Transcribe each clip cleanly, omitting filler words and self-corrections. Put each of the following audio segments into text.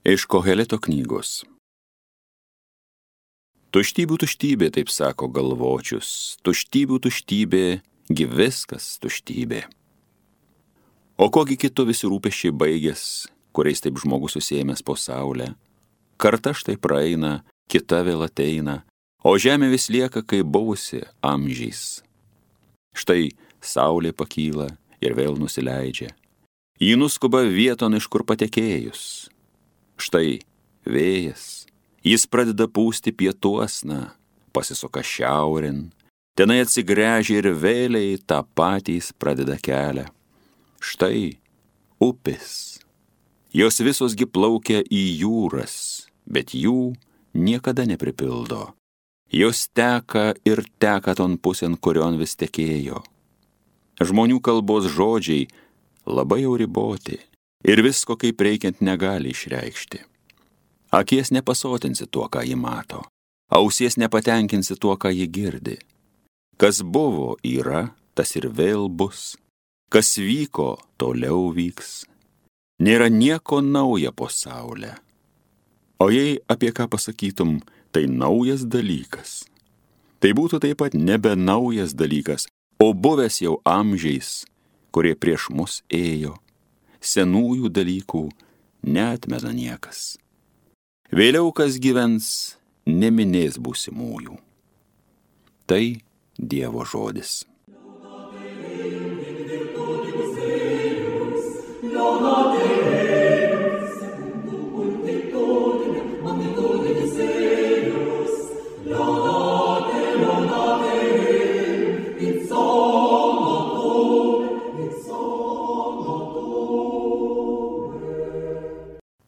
Iš Koheleto knygos. Tuštybių tuštybė, taip sako galvočius, tuštybių tuštybė, gi viskas tuštybė. O kogi kitu visi rūpesčiai baigės, kuriais taip žmogus susėmęs po saulę? Karta štai praeina, kita vėl ateina, o žemė vis lieka kaip buvusi amžiais. Štai saulė pakyla ir vėl nusileidžia. Ji nuskuba vieton, iš kur patekėjus. Štai vėjas, jis pradeda pūsti pietuosna, pasisuka šiaurin, tenai atsigręžia ir vėliai tą patį jis pradeda kelią. Štai upės, jos visosgi plaukia į jūras, bet jų niekada nepripildo. Jos teka ir teka ton pusėn, kurion vis tekėjo. Žmonių kalbos žodžiai labai jau riboti ir visko kaip reikiant negali išreikšti. Akies nepasotinsi tuo, ką ji mato, ausies nepatenkinsi tuo, ką ji girdi. Kas buvo yra, tas ir vėl bus, kas vyko, toliau vyks. Nėra nieko nauja po saulę. O jei apie ką pasakytum, tai naujas dalykas. Tai būtų taip pat nebe naujas dalykas, o buvęs jau amžiais, kurie prieš mus ėjo. Senųjų dalykų neatmena niekas. Vėliau kas gyvens, neminės būsimųjų. Tai Dievo žodis.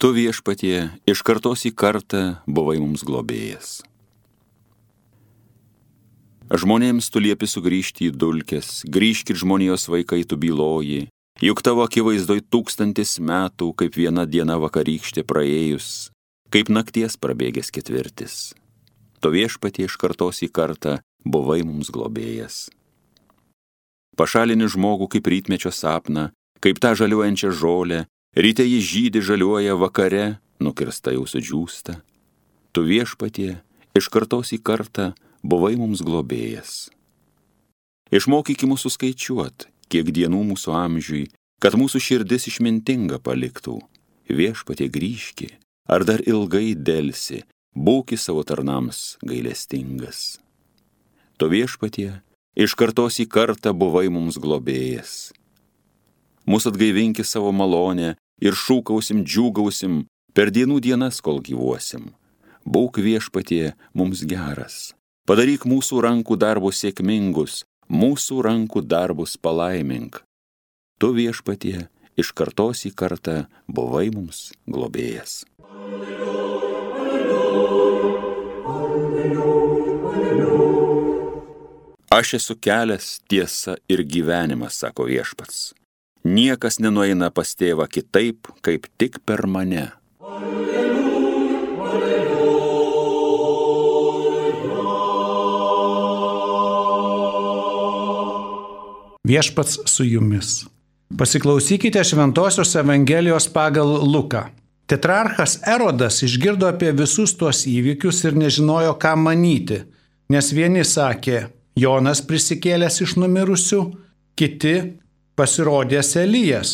Tu viešpatie iš kartos į kartą buvai mums globėjas. Žmonėms tu liepi sugrįžti į dulkes, grįžkit žmonijos vaikai tu byloji, juk tavo akivaizdoj 1000 metų, kaip viena diena vakarykštė praėjus, kaip nakties prabėgęs ketvirtis. Tu viešpatie iš kartos į kartą buvai mums globėjas. Pašalini žmogų kaip rytmečio sapną, kaip tą žaliuojančią žolę, ryte jį žydi žaliuoja, vakare nukirsta jau sudžiūsta. Tu viešpatie iš kartos į kartą buvai mums globėjas. Išmokyk mūsų skaičiuot, kiek dienų mūsų amžiui, kad mūsų širdis išmintinga paliktų. Viešpatie grįžki, ar dar ilgai delsi, būki savo tarnams gailestingas. Tu viešpatie iš kartos į kartą buvai mums globėjas. Mūsų atgaivinki savo malonę ir šūkausim, džiūgausim per dienų dienas, kol gyvuosim. Būk viešpatie mums geras. Padaryk mūsų rankų darbus sėkmingus, mūsų rankų darbus palaimink. Tu viešpatie iš kartos į kartą buvai mums globėjas. Aš esu kelias, tiesa ir gyvenimas, sako viešpats. Niekas nenueina pas tėvą kitaip, kaip tik per mane. Viešpats su jumis. Pasiklausykite Šventosios Evangelijos pagal Luką. Tetrarchas Erodas išgirdo apie visus tuos įvykius ir nežinojo, ką manyti, nes vieni sakė, Jonas prisikėlęs iš numirusių, kiti pasirodęs Elijas,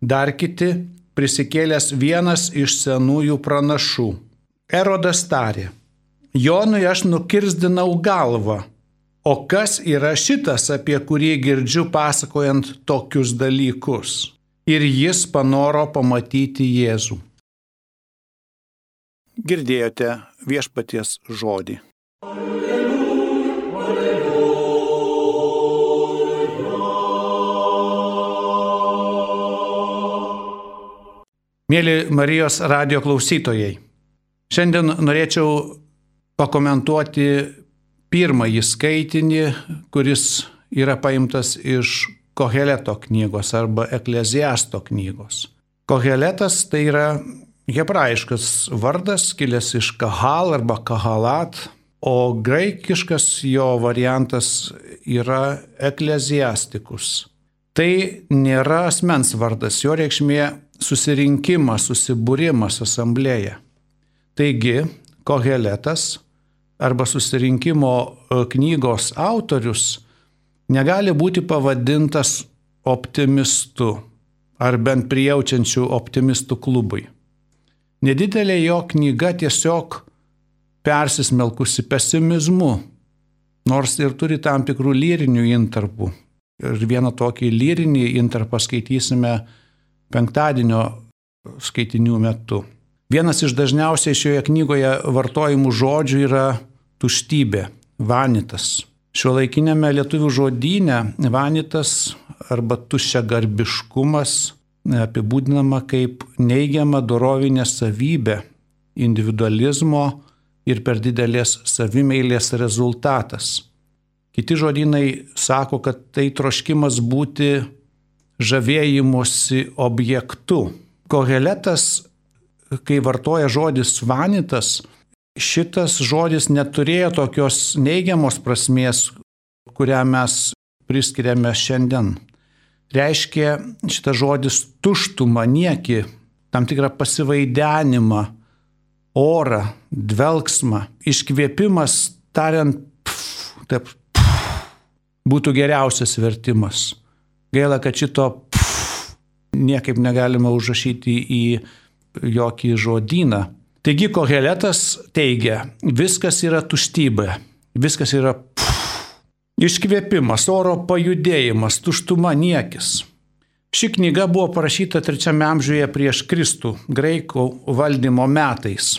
dar kiti prisikėlęs vienas iš senųjų pranašų. Erodas tarė, Jonui aš nukirsdinau galvą, o kas yra šitas, apie kurį girdžiu pasakojant tokius dalykus? Ir jis panoro pamatyti Jėzų. Girdėjote viešpaties žodį. Mėly Marijos radijo klausytojai, šiandien norėčiau pakomentuoti pirmąjį skaitinį, kuris yra paimtas iš Koheleto knygos arba Ekleziasto knygos. Koheletas tai yra hebrajiškas vardas, kilęs iš Kahal arba Kahalat, o graikiškas jo variantas yra Ekleziastikus. Tai nėra asmens vardas, jo reikšmė susirinkimas, susibūrimas, asamblėja. Taigi, Koheletas arba susirinkimo knygos autorius negali būti pavadintas optimistu ar bent prijaučiančių optimistų klubui. Nedidelė jo knyga tiesiog persismelkusi pesimizmu, nors ir turi tam tikrų lyrinių intarpų. Ir vieną tokį lyrinį intarpą skaitysime penktadienio skaitinių metu. Vienas iš dažniausiai šioje knygoje vartojimų žodžių yra tuštybė, vanitas. Šiuolaikinėme lietuvių žodyne vanitas arba tuščiagarbiškumas apibūdinama kaip neigiama dorovinė savybė, individualizmo ir per didelės savimeilės rezultatas. Kiti žodynai sako, kad tai troškimas būti žavėjimosi objektu. Koheletas, kai vartoja žodis vanitas, šitas žodis neturėjo tokios neigiamos prasmės, kurią mes priskiriame šiandien. Reiškia šitas žodis tuštumą, niekį, tam tikrą pasivaidenimą, orą, dvelksmą, iškvėpimas, tariant, taip, būtų geriausias vertimas. Gaila, kad šito niekaip negalima užrašyti į jokį žodyną. Taigi Koheletas teigia, viskas yra tuštybė, viskas yra iškvėpimas, oro pajudėjimas, tuštuma, niekis. Ši knyga buvo parašyta 3 amžiuje prieš Kristų, graikų valdymo metais.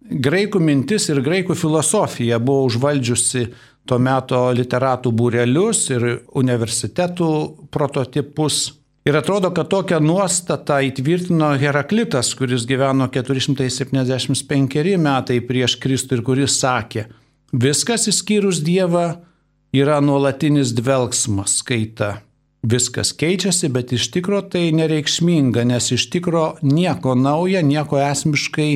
Graikų mintis ir graikų filosofija buvo užvaldžiusi to meto literatų būrelius ir universitetų prototipus. Ir atrodo, kad tokią nuostatą įtvirtino Heraklitas, kuris gyveno 475 metai prieš Kristų ir kuris sakė, viskas išskyrus Dievą yra nuolatinis dvelksmas, kaita. Viskas keičiasi, bet iš tikro tai nereikšminga, nes iš tikro nieko nauja, nieko esmiškai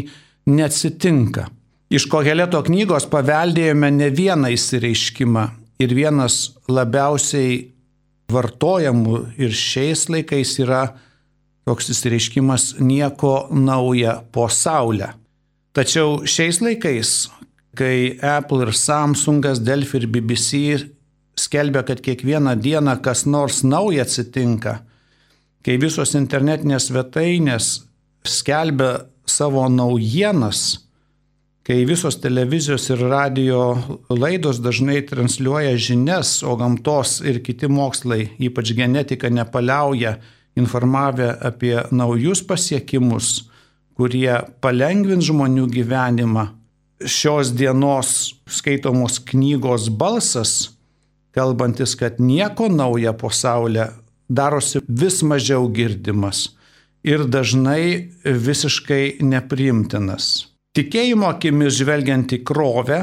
neatsitinka. Iš Koheleto knygos paveldėjome ne vieną išsireiškimą ir vienas labiausiai vartojamų ir šiais laikais yra toks išsireiškimas nieko nauja po saulę. Tačiau šiais laikais, kai Apple ir Samsungas, Delfi ir BBC skelbia, kad kiekvieną dieną kas nors nauja atsitinka, kai visos internetinės svetainės skelbia savo naujienas, kai visos televizijos ir radio laidos dažnai transliuoja žinias, o gamtos ir kiti mokslai, ypač genetika, nepaliauja informavę apie naujus pasiekimus, kurie palengvins žmonių gyvenimą. Šios dienos skaitomos knygos balsas, kalbantis, kad nieko nauja po saulę, darosi vis mažiau girdimas ir dažnai visiškai nepriimtinas. Tikėjimo akimis žvelgiant į krovę,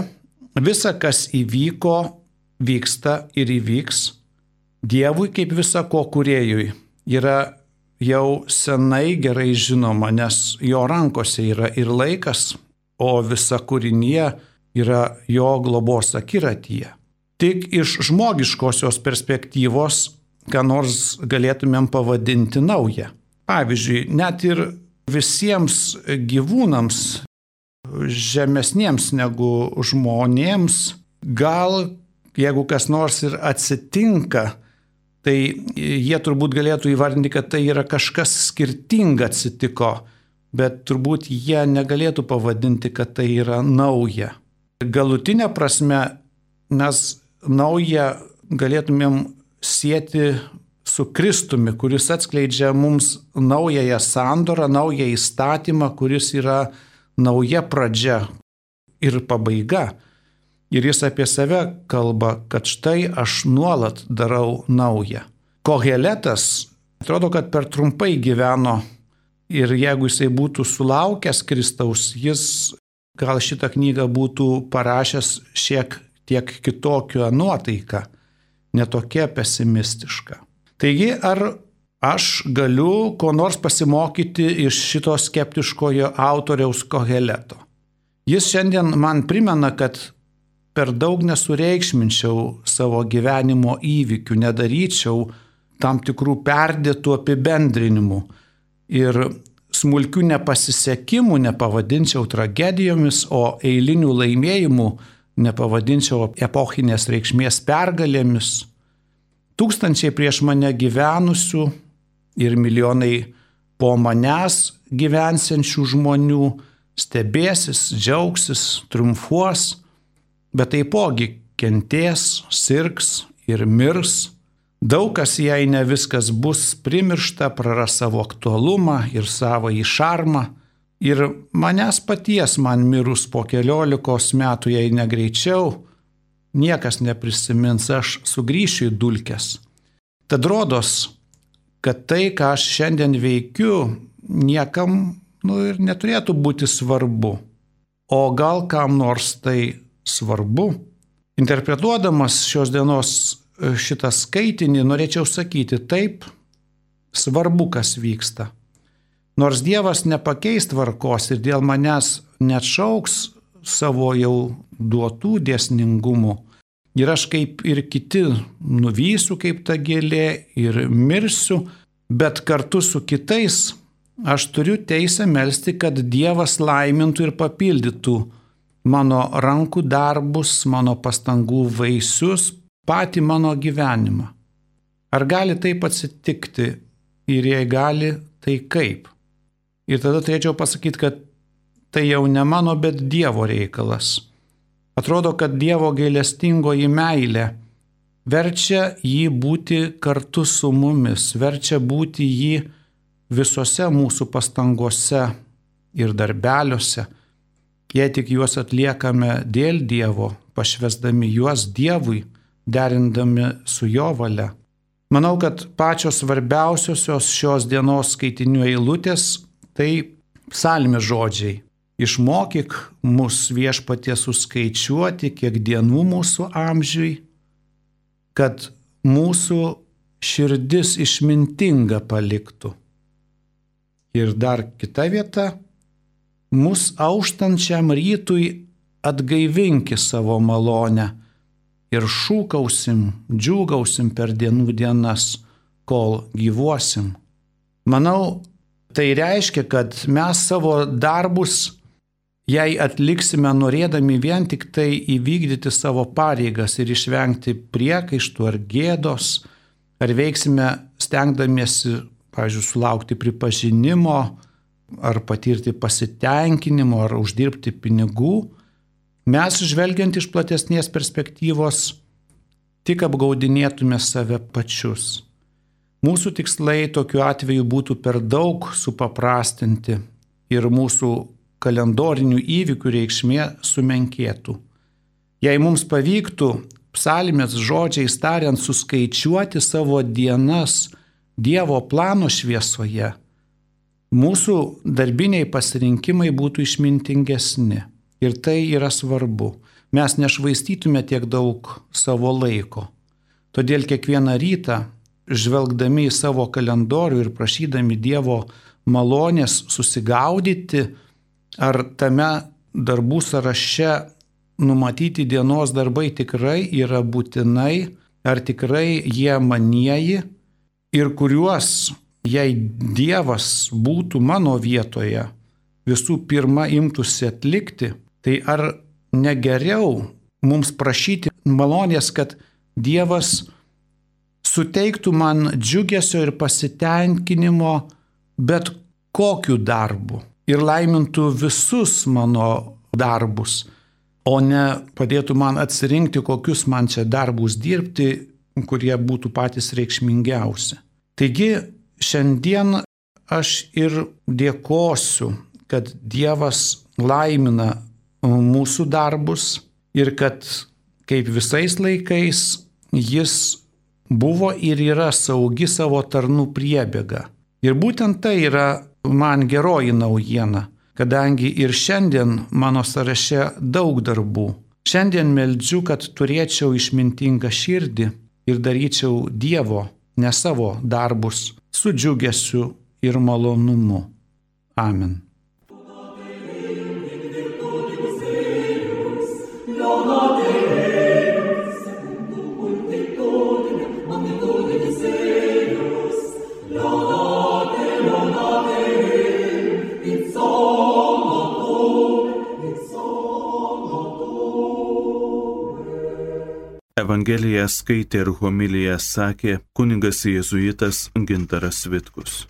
visa, kas įvyko, vyksta ir įvyks. Dievui kaip visa ko kūrėjui yra jau senai gerai žinoma, nes jo rankose yra ir laikas, o visa kūrinija yra jo globos akiratyje. Tik iš žmogiškosios perspektyvos, ką nors galėtumėm pavadinti nauja. Pavyzdžiui, net ir visiems gyvūnams, žemesniems negu žmonėms, gal jeigu kas nors ir atsitinka, tai jie turbūt galėtų įvardinti, kad tai yra kažkas skirtinga atsitiko, bet turbūt jie negalėtų pavadinti, kad tai yra nauja. Galutinė prasme mes naują galėtumėm sieti su Kristumi, kuris atskleidžia mums naująją sandorą, naują įstatymą, kuris yra nauja pradžia ir pabaiga. Ir jis apie save kalba, kad štai aš nuolat darau naują. Koheletas atrodo, kad per trumpai gyveno ir jeigu jisai būtų sulaukęs Kristaus, jis gal šitą knygą būtų parašęs šiek tiek kitokią nuotaiką, netokia pesimistiška. Taigi, ar aš galiu ko nors pasimokyti iš šito skeptiškojo autoriaus Koheleto? Jis šiandien man primena, kad per daug nesureikšminčiau savo gyvenimo įvykių, nedaryčiau tam tikrų perdėtų apibendrinimų ir smulkių nepasisekimų nepavadinčiau tragedijomis, o eilinių laimėjimų nepavadinčiau epochinės reikšmės pergalėmis. Tūkstančiai prieš mane gyvenusių ir milijonai po manęs gyvensiančių žmonių stebėsis, džiaugsis, triumfuos, bet taipogi kentės, sirgs ir mirs. Daug kas, jei ne viskas bus primiršta, praras savo aktualumą ir savo šarmą. Ir manęs paties man mirus po 14 metų, jei negreičiau, niekas neprisimins, aš sugrįšiu į dulkes. Tad rodos, kad tai, ką aš šiandien veikiu, niekam ir neturėtų būti svarbu. O gal kam nors tai svarbu? Interpretuodamas šios dienos šitą skaitinį, norėčiau sakyti, taip, svarbu, kas vyksta. Nors Dievas nepakeis tvarkos ir dėl manęs neatšauks savo jau duotų dėsningumų, ir aš kaip ir kiti nuvysiu kaip ta gėlė ir mirsiu, bet kartu su kitais aš turiu teisę melsti, kad Dievas laimintų ir papildytų mano rankų darbus, mano pastangų vaisius, patį mano gyvenimą. Ar gali taip atsitikti ir jei gali, tai kaip? Ir tada turėčiau pasakyti, kad tai jau ne mano, bet Dievo reikalas. Atrodo, kad Dievo gailestingoji meilė verčia jį būti kartu su mumis, verčia būti jį visose mūsų pastangose ir darbeliuose, jei tik juos atliekame dėl Dievo, pašvesdami juos Dievui, derindami su jo valia. Manau, kad pačios svarbiausiosios šios dienos skaitinių eilutės tai psalmės žodžiai. Išmokyk mus Viešpatie suskaičiuoti, kiek dienų mūsų amžiui, kad mūsų širdis išmintinga paliktų. Ir dar kita vieta, mus auštančiam rytui atgaivinki savo malonę ir šūkausim, džiūgausim per dienų dienas, kol gyvuosim. Manau, tai reiškia, kad mes savo darbus, jei atliksime norėdami vien tik tai įvykdyti savo pareigas ir išvengti priekaištų ar gėdos, ar veiksime stengdamiesi, pavyzdžiui, sulaukti pripažinimo, ar patirti pasitenkinimo, ar uždirbti pinigų, mes, žvelgiant iš platesnės perspektyvos, tik apgaudinėtume save pačius. Mūsų tikslai tokiu atveju būtų per daug supaprastinti ir mūsų kalendorinių įvykių reikšmė sumenkėtų. Jei mums pavyktų psalmės žodžiais tariant suskaičiuoti savo dienas Dievo plano šviesoje, mūsų darbiniai pasirinkimai būtų išmintingesni. Ir tai yra svarbu. Mes nešvaistytume tiek daug savo laiko. Todėl kiekvieną rytą, žvelgdami į savo kalendorių ir prašydami Dievo malonės susigaudyti, ar tame darbų sąraše numatyti dienos darbai tikrai yra būtinai, ar tikrai jie manieji, ir kuriuos, jei Dievas būtų mano vietoje, visų pirma imtųsi atlikti, tai ar negeriau mums prašyti malonės, kad Dievas suteiktų man džiugesio ir pasitenkinimo bet kokiu darbu ir laimintų visus mano darbus, o ne padėtų man atsirinkti, kokius man čia darbus dirbti, kurie būtų patys reikšmingiausi. Taigi šiandien aš ir dėkosiu, kad Dievas laimina mūsų darbus ir kad kaip visais laikais jis buvo ir yra saugi savo tarnų priebėga. Ir būtent tai yra man geroji naujiena, kadangi ir šiandien mano sąraše daug darbų. Šiandien meldžiu, kad turėčiau išmintingą širdį ir daryčiau Dievo, ne savo darbus, su džiugesiu ir malonumu. Amen. Evangeliją skaitė ir homiliją sakė kunigas jėzuitas Gintaras Vitkus.